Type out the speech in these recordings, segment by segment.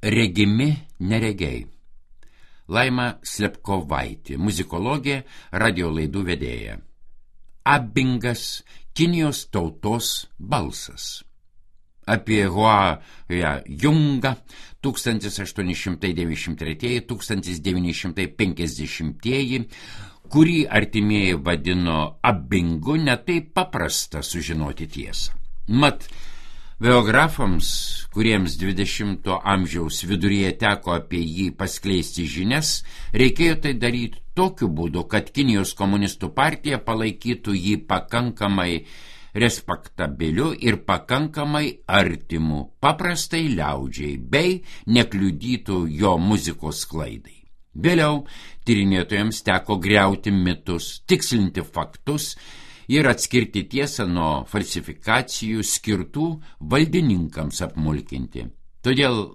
Regimi neregiai. Laima Slepkovaitė, muzikologė, radio laidų vedėja. Abingas, Kinijos tautos balsas. Apie Hua Jungą 1893-1950, kurį artimieji vadino Abingu, netaip paprasta sužinoti tiesą. Mat, biografams, kuriems 20 amžiaus viduryje teko apie jį paskleisti žinias, reikėjo tai daryti tokiu būdu, kad Kinijos komunistų partija palaikytų jį pakankamai respektabiliu ir pakankamai artimu paprastai liaudžiai, bei nekliudytų jo muzikos sklaidai. Vėliau tyrinėtojams teko griauti mitus, tikslinti faktus ir atskirti tiesą nuo falsifikacijų skirtų valdininkams apmulkinti. Todėl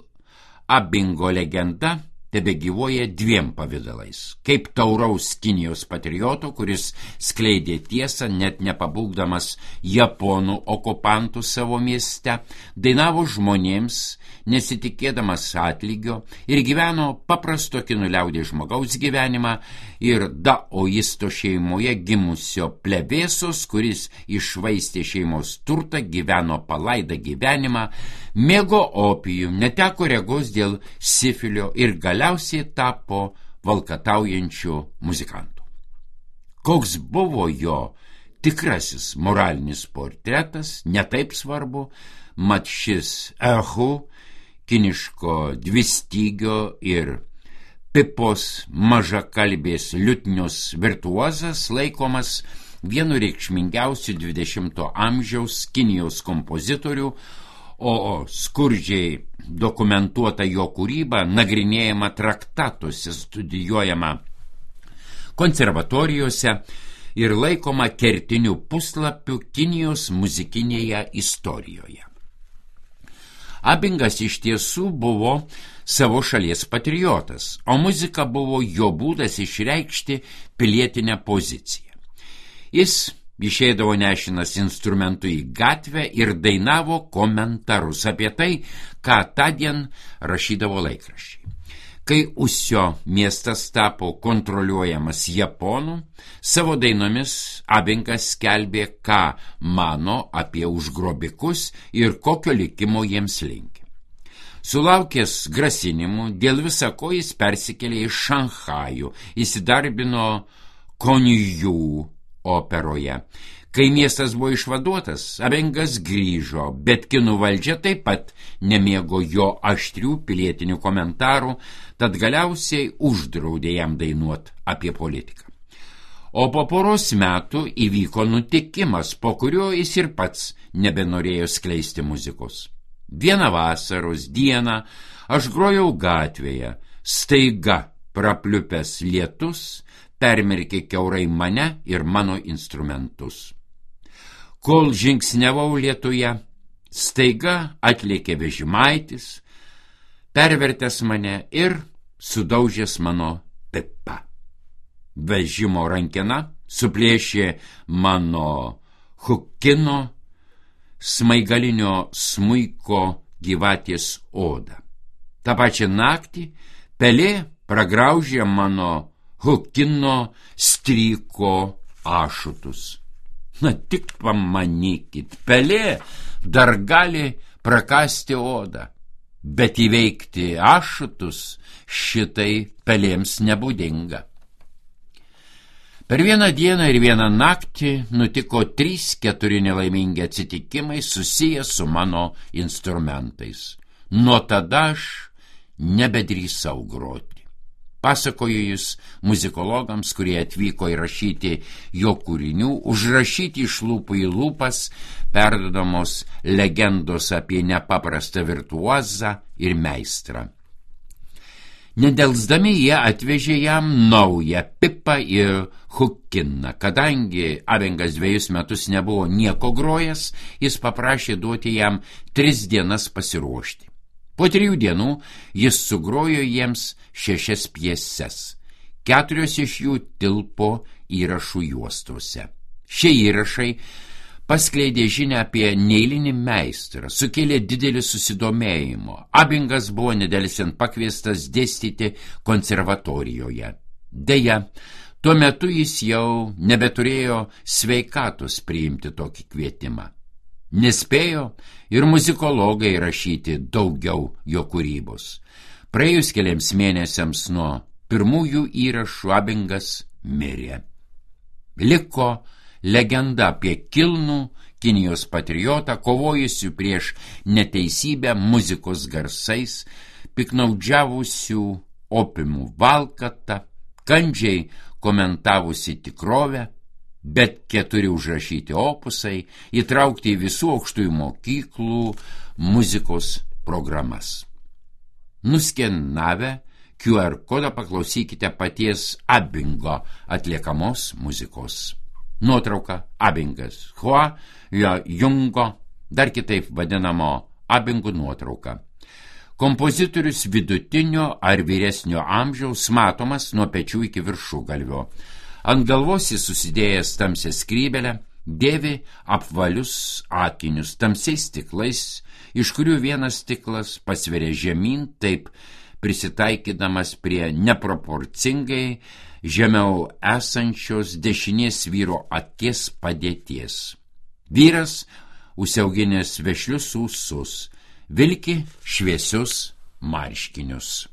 Abingo legenda tebegyvuoja dviem pavidalais. Kaip tauraus Kinijos patrioto, kuris skleidė tiesą, net nepabūgdamas japonų okupantų savo mieste, dainavo žmonėms, nesitikėdamas atlygio ir gyveno paprasto kinų liaudies žmogaus gyvenimą ir daoisto šeimoje gimusio plebėsos, kuris iššvaistė šeimos turtą, gyveno palaidą gyvenimą, mėgo opijų, neteko regos dėl sifilio ir galiausiai tapo valkataujančių muzikantų. Koks buvo jo tikrasis moralinis portretas, netaip svarbu, mat šis ehu, kiniško dvistygio ir pipos mažakalbės liutnios virtuozas, laikomas vienu reikšmingiausių 20 amžiaus Kinijos kompozitorių, o skurdžiai dokumentuota jo kūryba nagrinėjama traktatuose, studijuojama konservatorijose ir laikoma kertiniu puslapiu Kinijos muzikinėje istorijoje. Abingas iš tiesų buvo savo šalies patriotas, o muzika buvo jo būdas išreikšti pilietinę poziciją. Jis išeidavo nešinas instrumentų į gatvę ir dainavo komentarus apie tai, ką tądien rašydavo laikraščiai. Kai Usio miestas tapo kontroliuojamas japonų, savo dainomis Abingas skelbė, ką mano apie užgrobikus ir kokio likimo jiems linki. Sulaukęs grasinimų, dėl visako jis persikėlė į Šanchajų, įsidarbino Konjų operoje. Kai miestas buvo išvaduotas, Abingas grįžo, bet kinų valdžia taip pat nemėgo jo aštrių pilietinių komentarų, tad galiausiai uždraudė jam dainuoti apie politiką. O po poros metų įvyko nutikimas, po kurio jis ir pats nebenorėjo skleisti muzikos. Vieną vasaros dieną aš grojau gatvėje, staiga prapliupęs lietus permerkė kiaurai mane ir mano instrumentus. Kol žingsniavau lietuje, staiga atlėkė vežimaitis, pervertęs mane ir sudaužęs mano pipą. Vežimo rankena suplėšė mano hukino smaigalinio smuiko gyvatės odą. Ta pačią naktį pelė pragraužė mano hukino stryko ašutus. Na tik pamanykit, pelė dar gali prakasti odą, bet įveikti ašutus šitai pelėms nebūdinga. Per vieną dieną ir vieną naktį nutiko 3-4 nelaimingi atsitikimai susiję su mano instrumentais. Nuo tada aš nebedrįsau groti. Pasakoju jis muzikologams, kurie atvyko įrašyti jo kūrinių, užrašyti iš lūpų į lūpas, perdodamos legendos apie nepaprastą virtuozą ir meistrą. Nedelsdami jie atvežė jam naują pipą ir hukiną. Kadangi Abingas 2 metus nebuvo nieko grojęs, jis paprašė duoti jam 3 dienas pasiruošti. Po 3 dienų jis sugrojo jiems 6 pjeses. 4 iš jų tilpo įrašų juostose. Šie įrašai paskleidė žinią apie neeilinį meistrą, sukėlė didelį susidomėjimo. Abingas buvo nedelsiant pakviestas dėstyti konservatorijoje. Deja, tuo metu jis jau nebeturėjo sveikatos priimti tokį kvietimą. Nespėjo ir muzikologai rašyti daugiau jo kūrybos. Praėjus keliams mėnesiams nuo pirmųjų įrašų Abingas mirė. Liko legenda apie kilnų Kinijos patriotą, kovojusių prieš neteisybę muzikos garsais, piknaudžiavusių opiumų valkatą, kandžiai komentavusi tikrovę, bet 4 užrašyti opusai įtraukti į visų aukštųjų mokyklų muzikos programas. Nuskenavę QR kodą paklausykite paties Abingo atliekamos muzikos. Nuotrauka Abingas, Hua Jungo, dar kitaip vadinamo Abingų nuotrauka. Kompozitorius vidutinio ar vyresnio amžiaus, matomas nuo pečių iki viršugalvio. Ant galvos jis susidėjęs tamsią skrybelę, dėvi apvalius akinius tamsiais stiklais, iš kurių vienas stiklas pasveria žemyn, taip prisitaikydamas prie neproporcingai žemiau esančios dešinės vyro akies padėties. Vyras užsiauginęs vešlius ūsus, vilki šviesius marškinius.